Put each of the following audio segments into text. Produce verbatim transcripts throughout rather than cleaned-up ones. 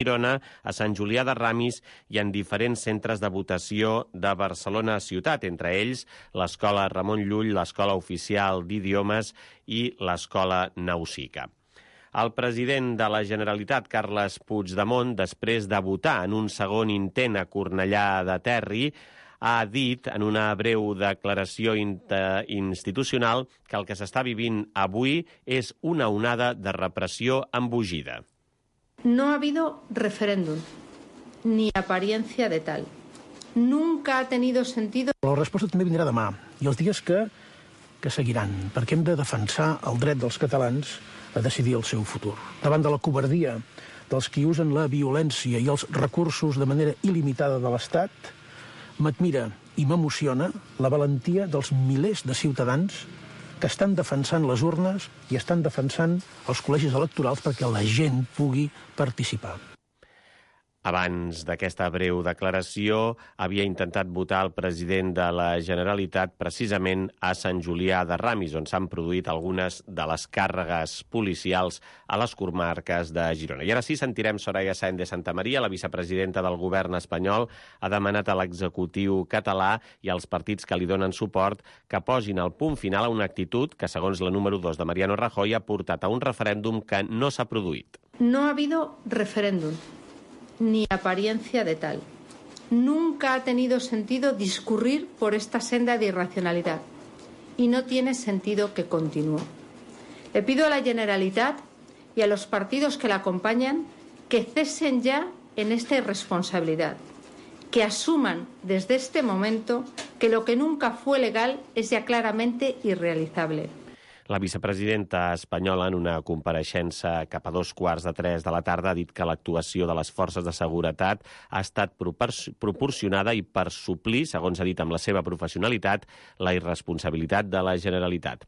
Girona, a Sant Julià de Ramis i en diferents centres de votació de Barcelona ciutat, entre ells l'Escola Ramon Llull, l'Escola Oficial d'Idiomes i l'Escola Nausica. El president de la Generalitat, Carles Puigdemont, després de votar en un segon intent a Cornellà de Terri, ha dit en una breu declaració institucional que el que s'està vivint avui és una onada de repressió embogida. No ha habido referéndum, ni apariencia de tal. Nunca ha tenido sentido... La resposta també vindrà demà, i els dies que, que seguiran, perquè hem de defensar el dret dels catalans a decidir el seu futur. Davant de la covardia dels qui usen la violència i els recursos de manera il·limitada de l'Estat, m'admira i m'emociona la valentia dels milers de ciutadans que estan defensant les urnes i estan defensant els col·legis electorals perquè la gent pugui participar. Abans d'aquesta breu declaració, havia intentat votar el president de la Generalitat precisament a Sant Julià de Ramis, on s'han produït algunes de les càrregues policials a les comarques de Girona. I ara sí, sentirem Soraya Sáenz de Santamaría, la vicepresidenta del govern espanyol, ha demanat a l'executiu català i als partits que li donen suport que posin el punt final a una actitud que, segons la número dos de Mariano Rajoy, ha portat a un referèndum que no s'ha produït. No ha habido referéndum, ni apariencia de tal. Nunca ha tenido sentido discurrir por esta senda de irracionalidad y no tiene sentido que continúe. Le pido a la Generalitat y a los partidos que la acompañan que cesen ya en esta irresponsabilidad, que asuman desde este momento que lo que nunca fue legal es ya claramente irrealizable. La vicepresidenta espanyola, en una compareixença cap a dos quarts de tres de la tarda, ha dit que l'actuació de les forces de seguretat ha estat proporcionada i per suplir, segons ha dit amb la seva professionalitat, la irresponsabilitat de la Generalitat.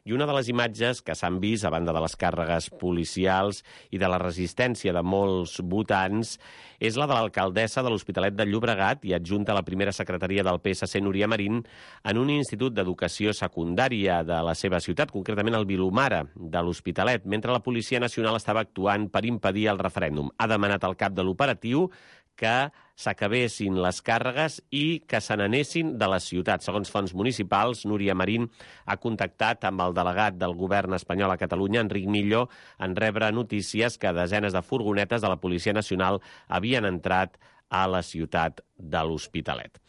I una de les imatges que s'han vist a banda de les càrregues policials i de la resistència de molts votants és la de l'alcaldessa de l'Hospitalet de Llobregat i adjunta a la primera secretaria del P S C, Núria Marín, en un institut d'educació secundària de la seva ciutat, concretament el Vilomara de l'Hospitalet, mentre la Policia Nacional estava actuant per impedir el referèndum. Ha demanat al cap de l'operatiu que s'acabessin les càrregues i que se n'anessin de la ciutat. Segons fonts municipals, Núria Marín ha contactat amb el delegat del govern espanyol a Catalunya, Enric Millo, en rebre notícies que desenes de furgonetes de la Policia Nacional havien entrat a la ciutat de l'Hospitalet.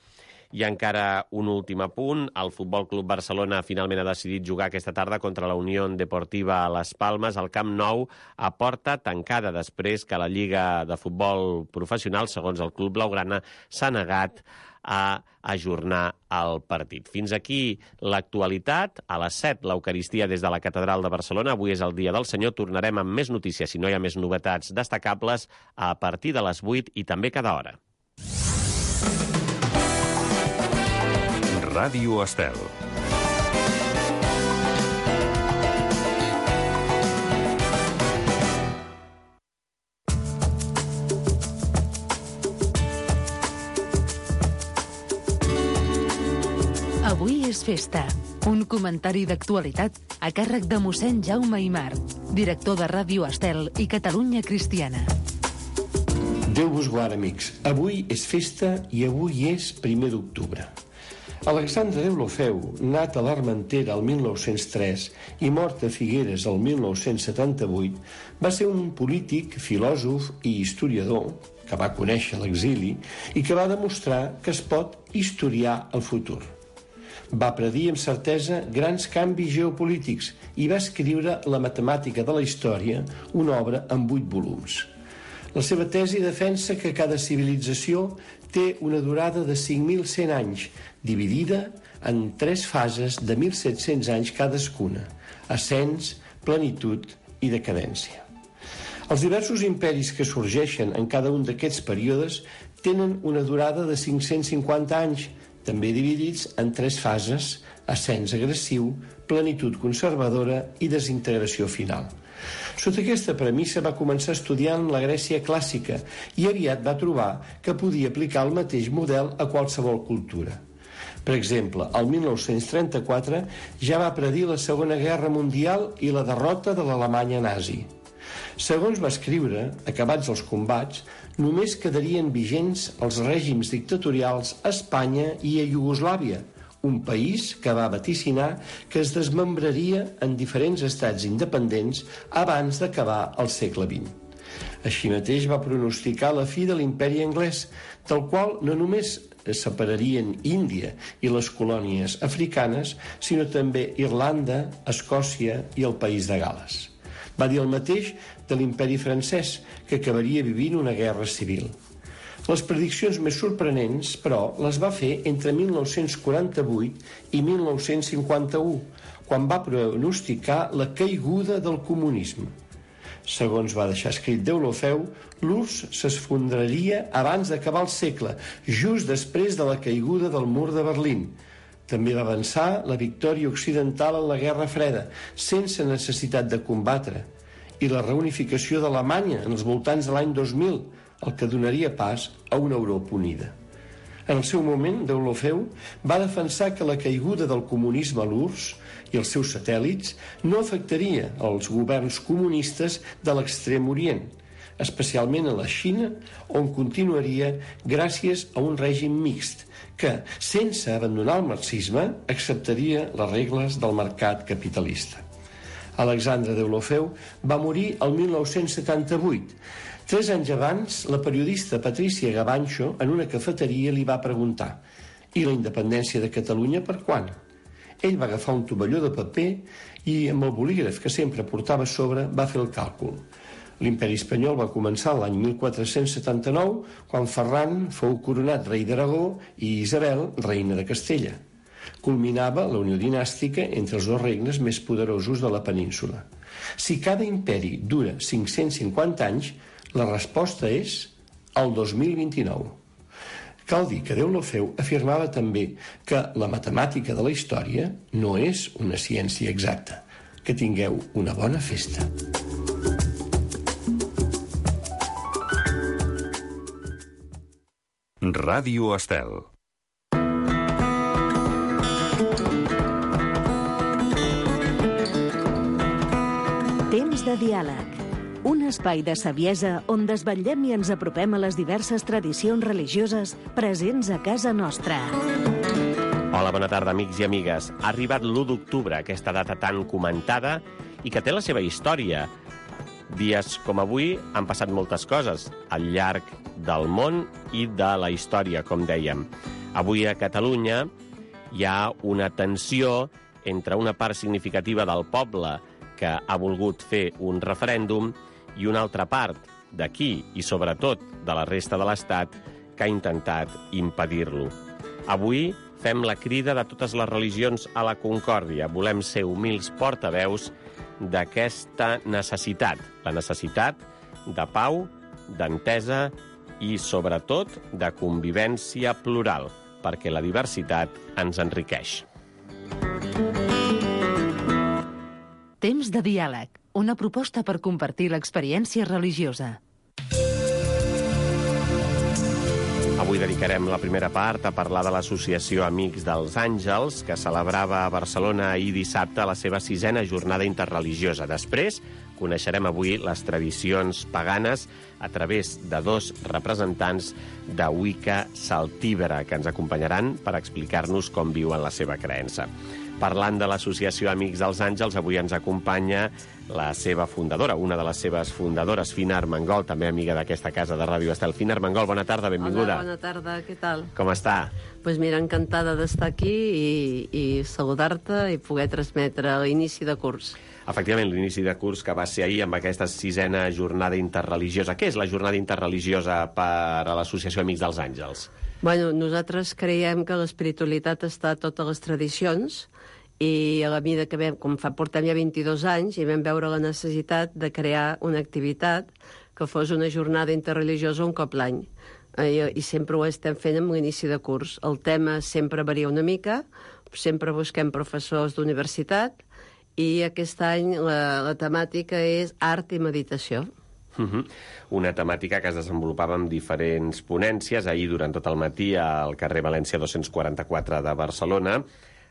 I encara un últim apunt. El Futbol Club Barcelona finalment ha decidit jugar aquesta tarda contra la Unió Deportiva a Les Palmes al Camp Nou a porta tancada després que la Lliga de Futbol Professional, segons el Club Blaugrana, s'ha negat a ajornar el partit. Fins aquí l'actualitat. A les set, l'Eucaristia des de la Catedral de Barcelona. Avui és el Dia del Senyor. Tornarem amb més notícies, si no hi ha més novetats destacables, a partir de les vuit i també cada hora. Ràdio Estel. Avui és festa. Un comentari d'actualitat a càrrec de mossèn Jaume Aymar, director de Ràdio Estel i Catalunya Cristiana. Déu vos guard, amics. Avui és festa i avui és primer d'octubre. Alexandre Deulofeu, nat a l'Armentera el mil nou-cents tres i mort a Figueres el mil nou-cents setanta-vuit, va ser un polític, filòsof i historiador que va conèixer l'exili i que va demostrar que es pot historiar el futur. Va predir amb certesa grans canvis geopolítics i va escriure La matemàtica de la història, una obra en vuit volums. La seva tesi defensa que cada civilització té una durada de cinc mil cent anys, dividida en tres fases de mil set-cents anys cadascuna: ascens, plenitud i decadència. Els diversos imperis que sorgeixen en cada un d'aquests períodes tenen una durada de cinc-cents cinquanta anys, també dividits en tres fases: ascens agressiu, plenitud conservadora i desintegració final. Sota aquesta premissa va començar estudiant la Grècia clàssica i aviat va trobar que podia aplicar el mateix model a qualsevol cultura. Per exemple, el mil nou-cents trenta-quatre ja va predir la Segona Guerra Mundial i la derrota de l'Alemanya nazi. Segons va escriure, acabats els combats, només quedarien vigents els règims dictatorials a Espanya i a Iugoslàvia, un país que va vaticinar que es desmembraria en diferents estats independents abans d'acabar el segle vint. Així mateix va pronosticar la fi de l'imperi anglès, del qual no només es separarien Índia i les colònies africanes, sinó també Irlanda, Escòcia i el País de Gal·les. Va dir el mateix de l'imperi francès, que acabaria vivint una guerra civil. Les prediccions més sorprenents, però, les va fer entre mil nou-cents quaranta-vuit i mil nou-cents cinquanta-u, quan va pronosticar la caiguda del comunisme. Segons va deixar escrit Deulofeu, l'U R S S s'esfondraria abans d'acabar el segle, just després de la caiguda del mur de Berlín. També va avançar la victòria occidental en la Guerra Freda, sense necessitat de combatre, i la reunificació d'Alemanya en els voltants de l'any dos mil, el que donaria pas a una Europa unida. En el seu moment, Deulofeu va defensar que la caiguda del comunisme a l'U R S S i els seus satèl·lits no afectaria els governs comunistes de l'Extrem Orient, especialment a la Xina, on continuaria gràcies a un règim mixt que, sense abandonar el marxisme, acceptaria les regles del mercat capitalista. Alexandre Deulofeu va morir el mil nou-cents setanta-vuit. Tres anys abans, la periodista Patricia Gabancho, en una cafeteria, li va preguntar: «I la independència de Catalunya per quan?» Ell va agafar un tovalló de paper i, amb el bolígraf que sempre portava a sobre, va fer el càlcul. L'imperi espanyol va començar l'any mil quatre-cents setanta-nou, quan Ferran fou coronat rei d'Aragó i Isabel, reina de Castella. Culminava la unió dinàstica entre els dos regnes més poderosos de la península. Si cada imperi dura cinc-cents cinquanta anys, la resposta és el dos mil vint-i-nou. Cal dir que Deulofeu afirmava també que la matemàtica de la història no és una ciència exacta. Que tingueu una bona festa. Ràdio Estel. Temps de diàleg. Un espai de saviesa on desvetllem i ens apropem a les diverses tradicions religioses presents a casa nostra. Hola, bona tarda, amics i amigues. Ha arribat l'u d'octubre, aquesta data tan comentada i que té la seva història. Dies com avui han passat moltes coses al llarg del món i de la història, com dèiem. Avui a Catalunya hi ha una tensió entre una part significativa del poble que ha volgut fer un referèndum i una altra part d'aquí i sobretot de la resta de l'Estat que ha intentat impedir-lo. Avui fem la crida de totes les religions a la concòrdia. Volem ser humils portaveus d'aquesta necessitat, la necessitat de pau, d'entesa i, sobretot, de convivència plural, perquè la diversitat ens enriqueix. Temps de diàleg, una proposta per compartir l'experiència religiosa. Avui dedicarem la primera part a parlar de l'Associació Amics dels Àngels, que celebrava a Barcelona ahir dissabte la seva sisena jornada interreligiosa. Després coneixerem avui les tradicions paganes a través de dos representants de Wicca Celtíbera, que ens acompanyaran per explicar-nos com viuen la seva creença. Parlant de l'Associació Amics dels Àngels, avui ens acompanya la seva fundadora, una de les seves fundadores, Fina Armengol, també amiga d'aquesta casa de Ràdio Estel. Fina Armengol, bona tarda, benvinguda. Hola, bona tarda, què tal? Com està? Doncs pues mira, encantada d'estar aquí i, i saludar-te i poder transmetre l'inici de curs. Efectivament, l'inici de curs que va ser ahir amb aquesta sisena jornada interreligiosa. Què és la jornada interreligiosa per a l'Associació Amics dels Àngels? Bueno, nosaltres creiem que l'espiritualitat està a totes les tradicions i a la mida que vam, com fa, portem ja vint-i-dos anys, i vam veure la necessitat de crear una activitat que fos una jornada interreligiosa un cop l'any. I, I sempre ho estem fent amb l'inici de curs. El tema sempre varia una mica, sempre busquem professors d'universitat, i aquest any la, la temàtica és art i meditació. Uh-huh. Una temàtica que es desenvolupava amb diferents ponències ahir durant tot el matí al carrer València dos-cents quaranta-quatre de Barcelona,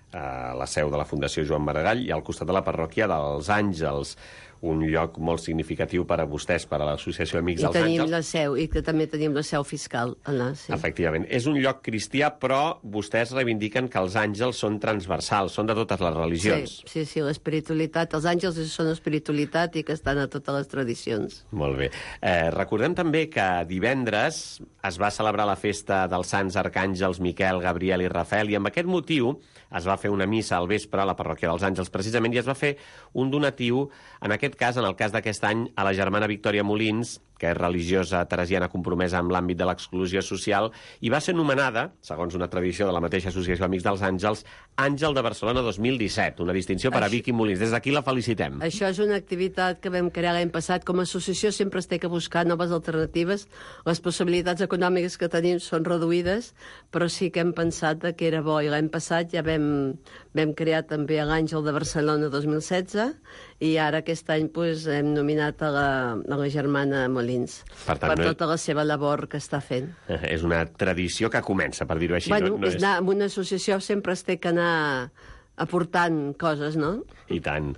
a la seu de la Fundació Joan Maragall i al costat de la parròquia dels Àngels. un lloc molt significatiu per a vostès, per a l'Associació Amics I dels tenim Àngels. la seu, i que també tenim la seu fiscal allà, sí. Efectivament. És un lloc cristià, però vostès reivindiquen que els àngels són transversals, són de totes les religions. Sí, sí, sí, l'espiritualitat. Els àngels són espiritualitat i que estan a totes les tradicions. Molt bé. Eh, recordem també que divendres es va celebrar la festa dels Sants Arcàngels Miquel, Gabriel i Rafael, i amb aquest motiu es va fer una missa al vespre a la parròquia dels Àngels, precisament, i es va fer un donatiu, en aquest cas, en el cas d'aquest any, a la germana Victòria Molins, que és religiosa teresiana compromesa amb l'àmbit de l'exclusió social, i va ser nomenada, segons una tradició de la mateixa Associació Amics dels Àngels, Àngel de Barcelona dos mil disset, una distinció per a Vicky Molins. Des d'aquí la felicitem. Això és una activitat que vam crear l'any passat. Com a associació sempre es té que buscar noves alternatives. Les possibilitats econòmiques que tenim són reduïdes, però sí que hem pensat que era bo. I l'any passat ja vam, vam crear també l'Àngel de Barcelona dos mil setze, i ara aquest any pues, hem nominat a la, a la germana Molins per, tant, per tota no és... la seva labor que està fent. És una tradició que comença, per dir-ho així. Bueno, no, no és és... anar, en una associació sempre es té que anar aportant coses, no? I tant.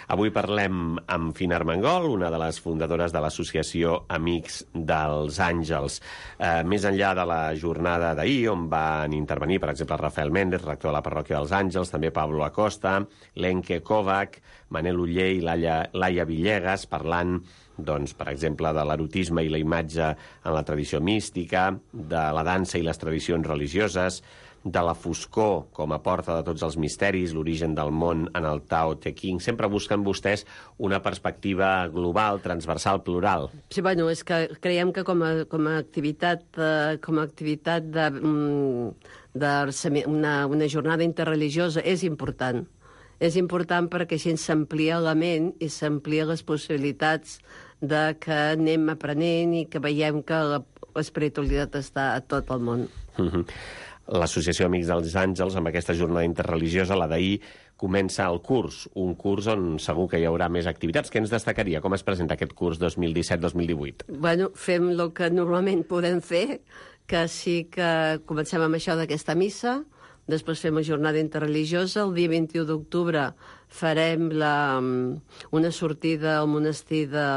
Avui parlem amb Fina Armengol, una de les fundadores de l'Associació Amics dels Àngels. Eh, més enllà de la jornada d'ahir, on van intervenir, per exemple, Rafael Méndez, rector de la parròquia dels Àngels, també Pablo Acosta, Lenke Kovac, Manel Uller i Laia, Laia Villegas, parlant, doncs, per exemple, de l'erotisme i la imatge en la tradició mística, de la dansa i les tradicions religioses, de la foscor com a porta de tots els misteris, l'origen del món en el Tao Te Ching. Sempre busquen vostès una perspectiva global, transversal, plural. Sí, bueno, és que creiem que com a, com a activitat, eh, com a activitat de, de una, una jornada interreligiosa és important. És important perquè així s'amplia la ment i s'amplia les possibilitats de que anem aprenent i que veiem que l'espiritualitat està a tot el món. Mm-hmm. L'Associació Amics dels Àngels, amb aquesta jornada interreligiosa, la d'ahir, comença el curs, un curs on segur que hi haurà més activitats. Què ens destacaria? Com es presenta aquest curs dos mil disset dos mil divuit? Bueno, fem el que normalment podem fer, que sí que comencem amb això d'aquesta missa, després fem la jornada interreligiosa, el dia vint-i-u d'octubre farem la, una sortida al monestir de,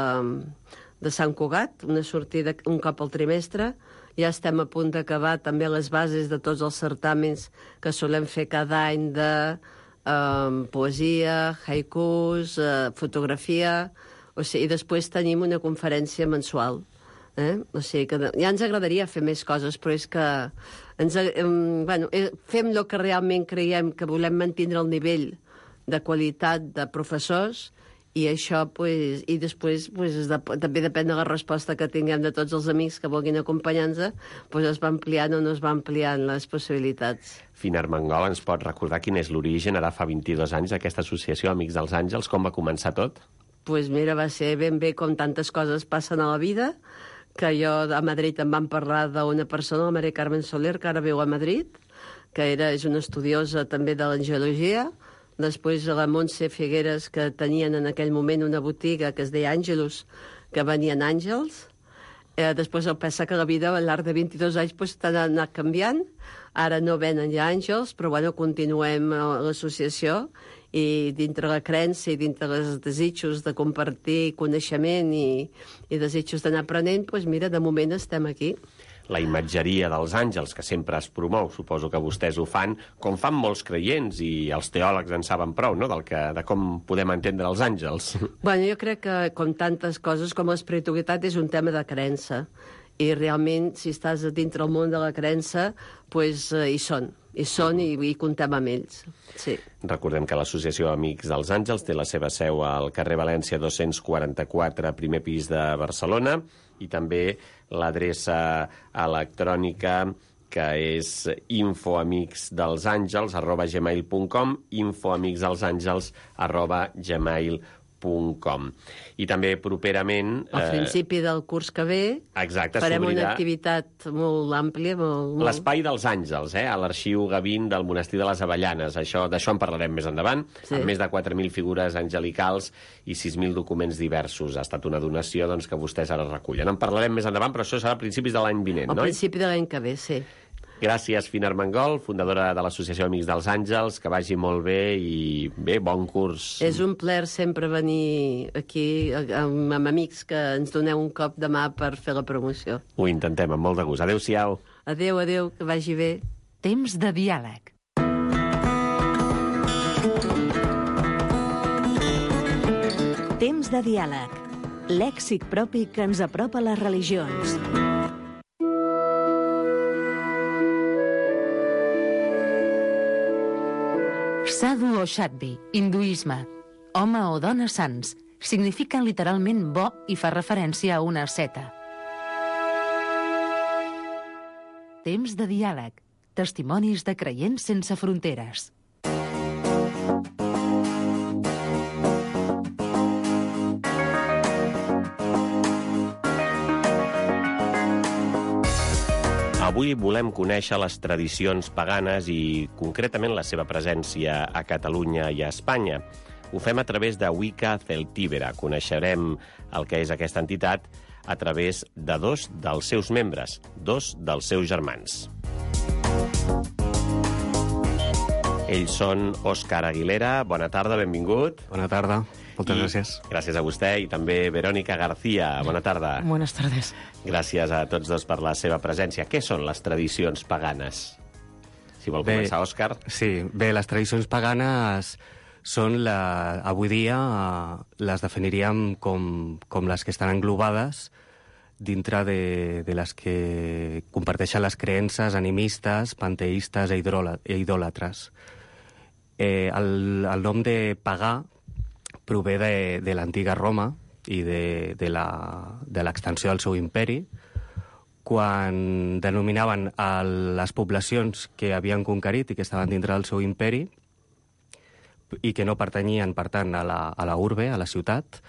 de Sant Cugat, una sortida un cop al trimestre. Ja estem a punt d'acabar també les bases de tots els certàmens que solem fer cada any de eh, poesia, haikus, eh, fotografia, o sigui, i després tenim una conferència mensual. Eh? O sigui, que ja ens agradaria fer més coses, però és que ens, eh, bueno, eh, fem el que realment creiem que volem mantenir el nivell de qualitat de professors. I això, pues, i després, pues, de, també depèn de la resposta que tinguem de tots els amics que vulguin acompanyar-nos, pues, es va ampliant o no es va ampliant les possibilitats. Fina Armengol, ens pot recordar quin és l'origen, ara fa vint-i-dos anys, d'aquesta associació Amics dels Àngels? Com va començar tot? Pues mira, va ser ben bé com tantes coses passen a la vida, que jo a Madrid em van parlar d'una persona, la Maria Carmen Soler, que ara viu a Madrid, que era, és una estudiosa també de l'angelologia. Després la Montse Figueres, que tenien en aquell moment una botiga que es deia Àngelus, que venien àngels. Eh, després el passa que la vida a l'arc de vint-i-dos anys pues, t'ha anat canviant. Ara no venen ja àngels, però bueno, continuem a l'associació i dintre la creença i dintre els desitjos de compartir coneixement i, i desitjos d'anar aprenent, pues, mira, de moment estem aquí. La imatgeria dels àngels, que sempre es promou, suposo que vostès ho fan, com fan molts creients, i els teòlegs en saben prou, no?, del que, de com podem entendre els àngels. Bueno, jo crec que, com tantes coses, com l'espiritualitat és un tema de creença. I realment, si estàs dintre el món de la creença, pues, eh, hi són. Hi són i, i comptem amb ells. Sí. Recordem que l'Associació Amics dels Àngels té la seva seu al carrer València dos-cents quaranta-quatre, primer pis de Barcelona, i també l'adreça electrònica que és infoamicsdelsàngels arroba gmail punt com, infoamicsdelsàngels arroba gmail punt com. I també properament... Al principi del curs que ve exacte, farem una activitat molt àmplia. Molt, molt... L'Espai dels Àngels, eh? A l'Arxiu Gavín del Monestir de les Avellanes. Això, d'això en parlarem més endavant, sí. Amb més de quatre mil figures angelicals i sis mil documents diversos. Ha estat una donació doncs, que vostès ara recullen. En parlarem més endavant, però això serà a principis de l'any vinent, no? A principi de l'any que ve, sí. Gràcies, Fina Armengol, fundadora de l'Associació Amics dels Àngels, que vagi molt bé i bé, bon curs. És un plaer sempre venir aquí amb, amb amics que ens doneu un cop de mà per fer la promoció. Ho intentem, amb molt de gust. Adéu-siau. Adéu, adéu, que vagi bé. Temps de diàleg. Temps de diàleg. Lèxic propi que ens apropa a les religions. Sadhu o Shadvi, hinduisme. Home o dona sants. Signifiquen literalment bo i fa referència a una asceta. Temps de diàleg. Testimonis de creients sense fronteres. Avui volem conèixer les tradicions paganes i, concretament, la seva presència a Catalunya i a Espanya. Ho fem a través de Wicca Celtibera. Coneixerem el que és aquesta entitat a través de dos dels seus membres, dos dels seus germans. Ells són Òscar Aguilera. Bona tarda, benvingut. Bona tarda. Moltes I gràcies. Gràcies a vostè i també Verónica García. Bona tarda. Buenas tardes. Gràcies a tots dos per la seva presència. Què són les tradicions paganes? Si vol Bé, començar, Òscar. Sí, bé, les tradicions paganes són, la, avui dia, eh, les definiríem com, com les que estan englobades dintre de, de les que comparteixen les creences animistes, panteistes e idòlatres. Eh, el, el nom de pagà prové de, de l'antiga Roma i de, de l'extensió del seu imperi, quan denominaven a les poblacions que havien conquerit i que estaven dintre del seu imperi i que no pertanyien, per tant, a la, a la urbe, a la ciutat,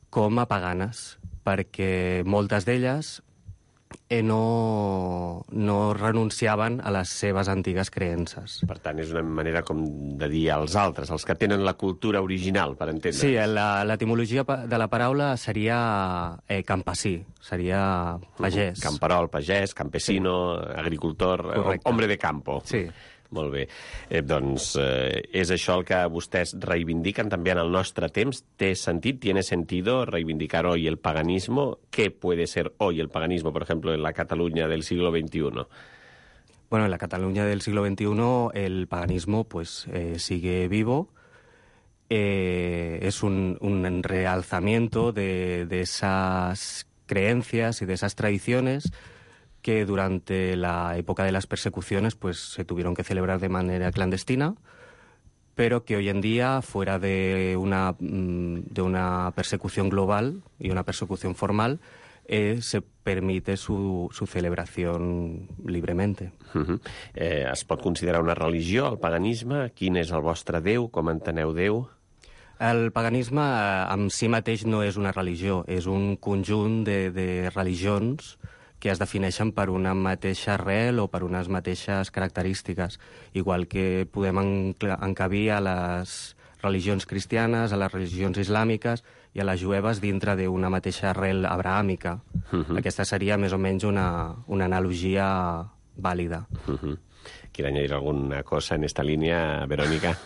com a paganes, perquè moltes d'elles eh, no, no renunciaven a les seves antigues creences. Per tant, és una manera com de dir als altres, els que tenen la cultura original, per entendre. Sí, la- l'etimologia pa- de la paraula seria eh, campesí, seria pagès. Camperol, pagès, campesino, agricultor, Correcte. hombre de campo. Sí. Molt bé. Eh, doncs eh, és això el que vostès reivindiquen també en el nostre temps. ¿Té sentit, tiene sentido reivindicar hoy el paganismo? ¿Qué puede ser hoy el paganismo, por ejemplo, en la Cataluña del siglo veintiuno? Bueno, en la Cataluña del siglo veintiuno el paganismo pues eh, sigue vivo. Eh, es un, un realzamiento de, de esas creencias y de esas tradiciones que durante la época de las persecuciones pues se tuvieron que celebrar de manera clandestina, pero que hoy en día, fuera de una, de una persecución global y una persecución formal, eh, se permite su, su celebración libremente. Uh-huh. eh, es pot considerar una religió, el paganisme? Quin és el vostre Déu? Com enteneu Déu? El paganisme eh, en si mateix no és una religió, és un conjunt de, de religions que es defineixen per una mateixa arrel o per unes mateixes característiques, igual que podem encla- encabir a les religions cristianes, a les religions islàmiques i a les jueves dintre d'una mateixa arrel abrahàmica. Uh-huh. Aquesta seria més o menys una, una analogia vàlida. Uh-huh. ¿Quiere añadir alguna cosa en esta línea, Verónica?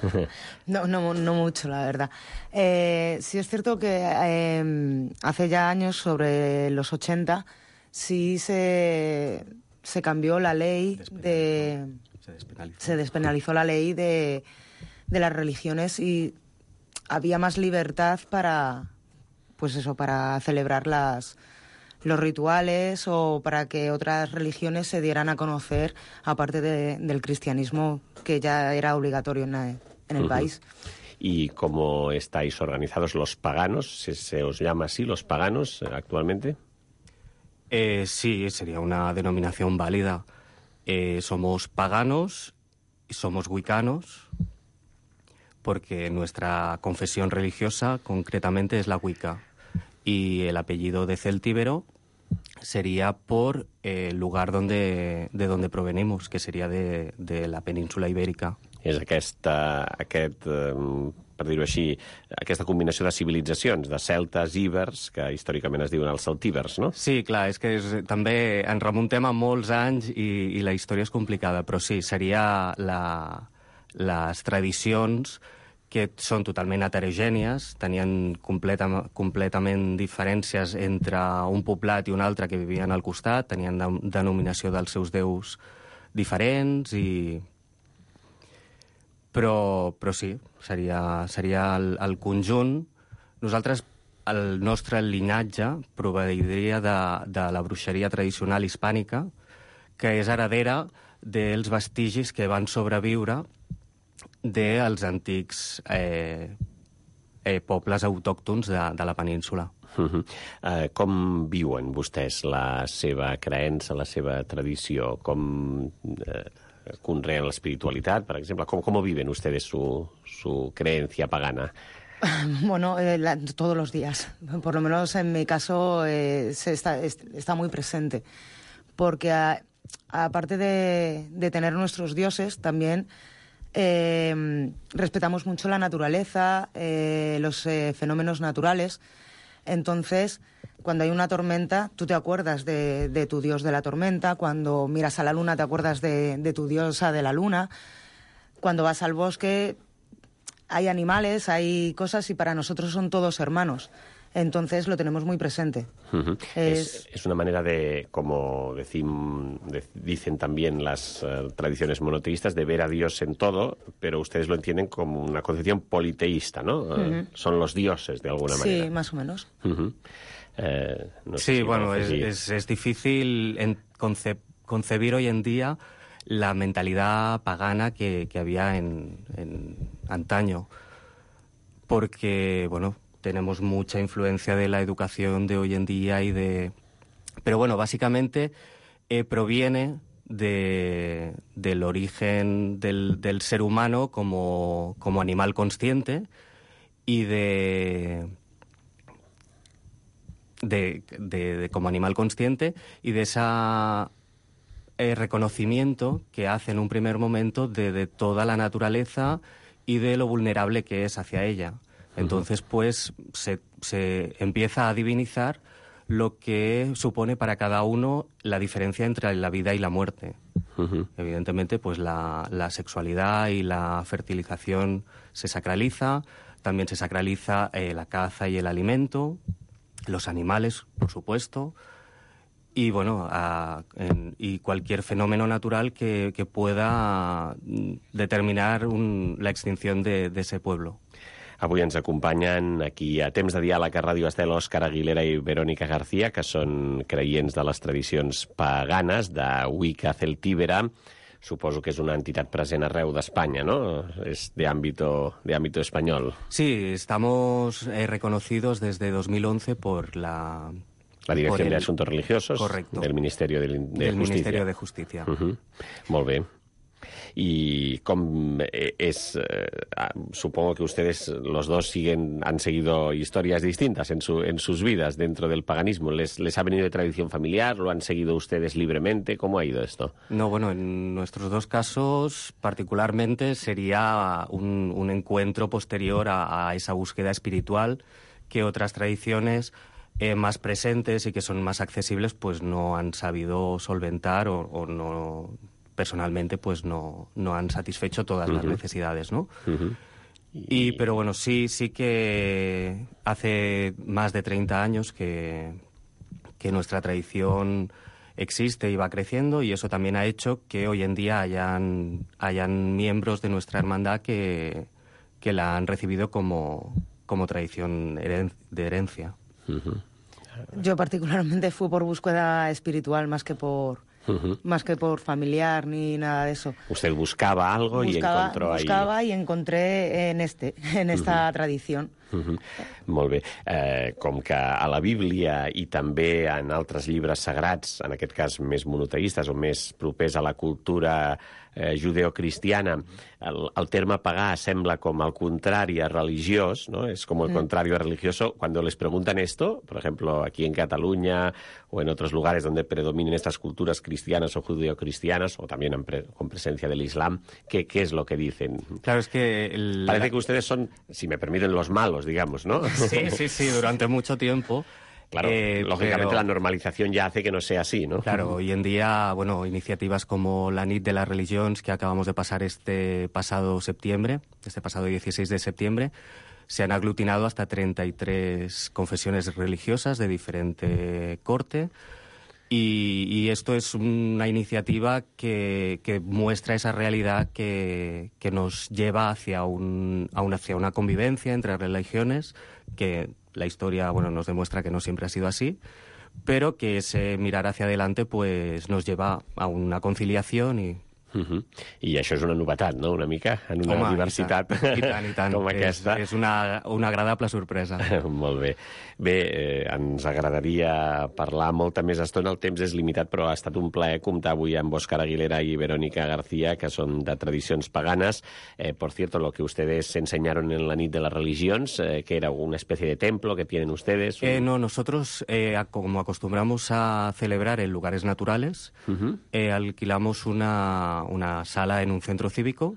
No, no, no mucho, la verdad. Eh, sí es cierto que eh, hace ya años, sobre los ochenta, sí se, se cambió la ley de... Se despenalizó. Se despenalizó la ley de, de las religiones y había más libertad para, pues eso, para celebrar las, los rituales o para que otras religiones se dieran a conocer, aparte de, del cristianismo, que ya era obligatorio en, la- en el Ujú. país. ¿Y cómo estáis organizados los paganos? ¿Se, se os llama así, los paganos, eh, actualmente? Eh, sí, sería una denominación válida. Eh, somos paganos y somos wiccanos, porque nuestra confesión religiosa concretamente es la Wicca. Y el apellido de Celtíbero sería por eh, el lugar donde, de donde provenimos, que sería de, de la península ibérica. És aquesta, aquest eh, per dir-ho així, aquesta combinació de civilitzacions, de celtes, íbers, que històricament es diuen els celtíbers, no? Sí, clar, és que és, també ens remuntem a molts anys i, i la història és complicada, però sí, seria la, les tradicions que són totalment heterogènies, tenien completa, completament diferències entre un poblat i un altre que vivien al costat, tenien de, denominació dels seus déus diferents, i... però, però sí, seria, seria el, el conjunt. Nosaltres, el nostre linatge proveiria de, de la bruixeria tradicional hispànica, que és heredera dels vestigis que van sobreviure dels antics eh, eh, pobles autòctons de, de la península. Uh -huh. uh, com viuen vostès la seva creença, la seva tradició? Com uh, conreen l'espiritualitat, per exemple? Com, com viven ustedes su, su creencia pagana? Bueno, eh, la, todos los días. Por lo menos en mi caso eh, se está, es, está muy presente. Porque a, aparte de, de tener nuestros dioses, también Eh, respetamos mucho la naturaleza, eh, los eh, fenómenos naturales. Entonces, cuando hay una tormenta, tú te acuerdas de, de tu dios de la tormenta. Cuando miras a la luna, te acuerdas de, de tu diosa de la luna. Cuando vas al bosque, hay animales, hay cosas, y para nosotros son todos hermanos. Entonces lo tenemos muy presente. Uh-huh. es... Es, es una manera de, como decim, de, dicen también las uh, tradiciones monoteístas, de ver a Dios en todo, pero ustedes lo entienden como una concepción politeísta, ¿no? Uh-huh. Uh, son los dioses, de alguna manera. Sí, más o menos. Uh-huh. eh, no sé sí, si bueno, es, es, es difícil en conce concebir hoy en día la mentalidad pagana que, que había en, en antaño, porque, bueno, tenemos mucha influencia de la educación de hoy en día y de... Pero bueno, básicamente eh, proviene de, del origen del, del ser humano como, como animal consciente y de, de, de, de como animal consciente y de ese eh, reconocimiento que hace en un primer momento de, de toda la naturaleza y de lo vulnerable que es hacia ella. Entonces, pues, se, se empieza a divinizar lo que supone para cada uno la diferencia entre la vida y la muerte. Uh-huh. Evidentemente, pues, la, la sexualidad y la fertilización se sacraliza, también se sacraliza eh, la caza y el alimento, los animales, por supuesto, y, bueno, a, en, y cualquier fenómeno natural que, que pueda determinar un, la extinción de, de ese pueblo. Avui ens acompanyen aquí a Temps de Diàleg a Ràdio Estel Òscar Aguilera i Verónica García, que són creients de les tradicions paganes de Wicca Celtíbera. Suposo que és una entitat present arreu d'Espanya, ¿no? Es de ámbito, de ámbito español. Sí, estamos eh, reconocidos desde dos mil once por la... La Dirección el... de Asuntos Religiosos. Correcto. Del Ministerio de, de del Justicia. Ministerio de Justicia. Uh-huh. Molt bé. Y com es, eh, supongo que ustedes los dos siguen, han seguido historias distintas en, su, en sus vidas dentro del paganismo. ¿Les, ¿Les ha venido de tradición familiar? ¿Lo han seguido ustedes libremente? ¿Cómo ha ido esto? No, bueno, en nuestros dos casos particularmente sería un, un encuentro posterior a, a esa búsqueda espiritual que otras tradiciones eh, más presentes y que son más accesibles pues no han sabido solventar o, o no... personalmente pues no, no han satisfecho todas uh-huh. las necesidades, ¿no? Uh-huh. y... y pero bueno, sí, sí que hace más de treinta años que, que nuestra tradición existe y va creciendo, y eso también ha hecho que hoy en día hayan, hayan miembros de nuestra hermandad que, que la han recibido como, como tradición heren de herencia. Uh-huh. Yo particularmente fui por búsqueda espiritual más que por... Uh-huh. Más que por familiar ni nada de eso. Usted buscaba algo buscaba, y encontró buscaba ahí... Buscaba y encontré en, este, en esta uh-huh. tradición. Uh-huh. Molt bé. Eh, com que a la Bíblia i també en altres llibres sagrats, en aquest cas més monoteistes o més propers a la cultura eh, judeocristiana, el, el terme pagà sembla com el contrari a religiós, ¿no? Es como el mm. contrario a religioso. Cuando les preguntan esto, por ejemplo, aquí en Cataluña o en otros lugares donde predominen estas culturas cristianas o judeocristianas, o también en pre con presencia del Islam, ¿qué, ¿qué es lo que dicen? Claro, es que... El... Parece que ustedes son, si me permiten, los malos, digamos, ¿no? Sí, sí, sí, durante mucho tiempo. Claro, eh, lógicamente pero, la normalización ya hace que no sea así, ¿no? Claro, hoy en día, bueno, iniciativas como la nit de las Religions, que acabamos de pasar este pasado septiembre, este pasado dieciséis de septiembre, se han aglutinado hasta treinta y tres confesiones religiosas de diferente corte. Y, y esto es una iniciativa que, que muestra esa realidad que, que nos lleva hacia, un, a un, hacia una convivencia entre religiones, que la historia, bueno, nos demuestra que no siempre ha sido así, pero que ese mirar hacia adelante pues nos lleva a una conciliación i... Uh-huh. I això és una novetat, no?, una mica, en una Home, diversitat i tant, i tant, i tant. com aquesta. És, és una, una agradable sorpresa. Molt bé. Bé, eh, ens agradaria parlar molta més estona, el temps és limitat, però ha estat un plaer comptar avui amb Óscar Aguilera i Verónica García, que són de tradicions paganes. Eh, por cierto, lo que ustedes enseñaron en la nit de las Religions, eh, que era una especie de templo que tienen ustedes. Un... Eh, no, nosotros, eh, como acostumbramos a celebrar en lugares naturales, uh-huh. eh, alquilamos una... una sala en un centro cívico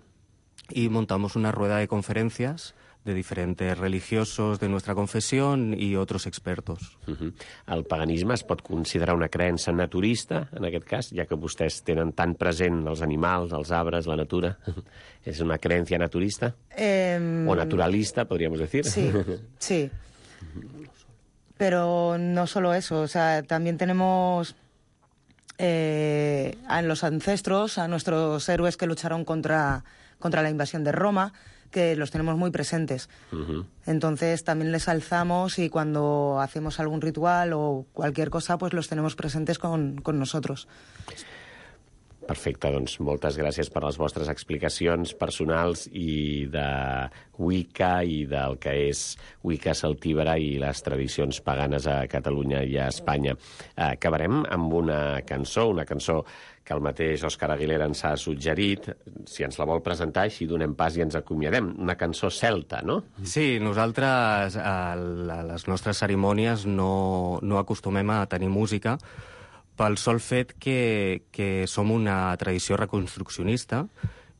y montamos una rueda de conferencias de diferentes religiosos de nuestra confesión y otros expertos. Uh-huh. El paganisme es pot considerar una creença naturista, en aquest cas, ja que vostès tenen tan present els animals, els arbres, la natura? ¿Es una creencia naturista? Eh... ¿O naturalista, podríamos decir? Sí, sí. Pero no solo eso, o sea, también tenemos... Eh, a los ancestros, a nuestros héroes que lucharon contra, contra la invasión de Roma, que los tenemos muy presentes. Uh-huh. Entonces también les alzamos y cuando hacemos algún ritual o cualquier cosa, pues los tenemos presentes con, con nosotros. Perfecte, doncs moltes gràcies per les vostres explicacions personals i de Wicca i del que és Wicca celtívera i les tradicions paganes a Catalunya i a Espanya. Acabarem amb una cançó, una cançó que el mateix Óscar Aguilera ens ha suggerit, si ens la vol presentar, així donem pas i ens acomiadem. Una cançó celta, no? Sí, nosaltres a les nostres cerimònies no, no acostumem a tenir música, pel sol fet que, que som una tradició reconstruccionista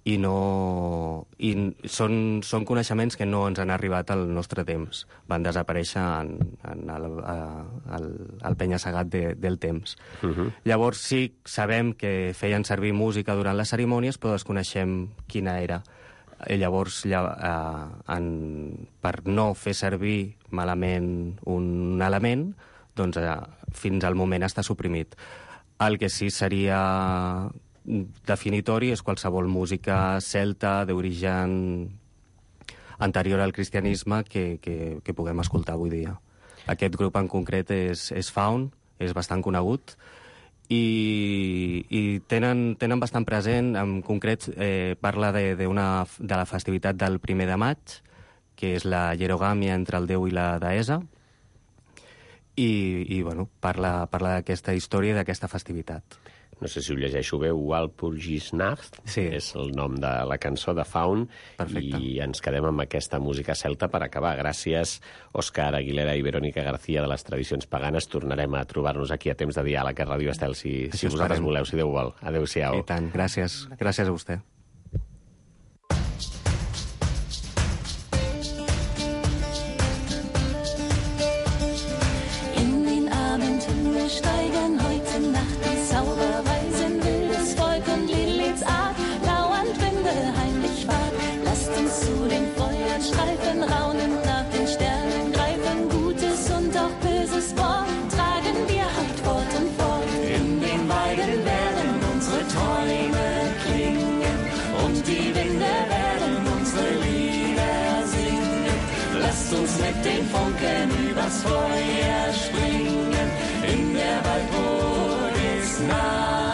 i, no, i són, són coneixements que no ens han arribat al nostre temps. Van desaparèixer en, en el, el, el penya-segat de, del temps. Uh-huh. Llavors sí, sabem que feien servir música durant les cerimònies, però desconeixem quina era. I llavors, ja, eh, en, per no fer servir malament un element, doncs eh, fins al moment està suprimit. El que sí seria definitori és qualsevol música celta d'origen anterior al cristianisme que, que, que puguem escoltar avui dia. Aquest grup en concret és, és Faun, és bastant conegut, i, i tenen, tenen bastant present, en concret eh, parla de, de, una, de la festivitat del primer de maig, que és la hierogàmia entre el déu i la deessa, i, i bueno, parla, parla d'aquesta història i d'aquesta festivitat. No sé si ho llegeixo bé, Walpurgisnacht, sí. És el nom de la cançó de Faun. Perfecte. I ens quedem amb aquesta música celta per acabar. Gràcies, Óscar Aguilera i Verónica García, de les tradicions paganes. Tornarem a trobar-nos aquí a Temps de Diàleg a Ràdio Estel, si, si vosaltres voleu, si Déu vol. Adéu-siau. I tant, gràcies. Gràcies a vostè. Steigen heute Nacht die Zauberweisen, wildes Volk und Liliths Art, lauernd Winde heimlich wart. Lasst uns zu den Feuern streifen, raunend nach den Sternen greifen, Gutes und auch Böses Wort tragen wir halt fort und fort. In den Weiden werden unsere Träume klingen und die Winde werden unsere Lieder singen. Lasst uns mit den Funken übers Feuer springen. In der Walpurgisnacht.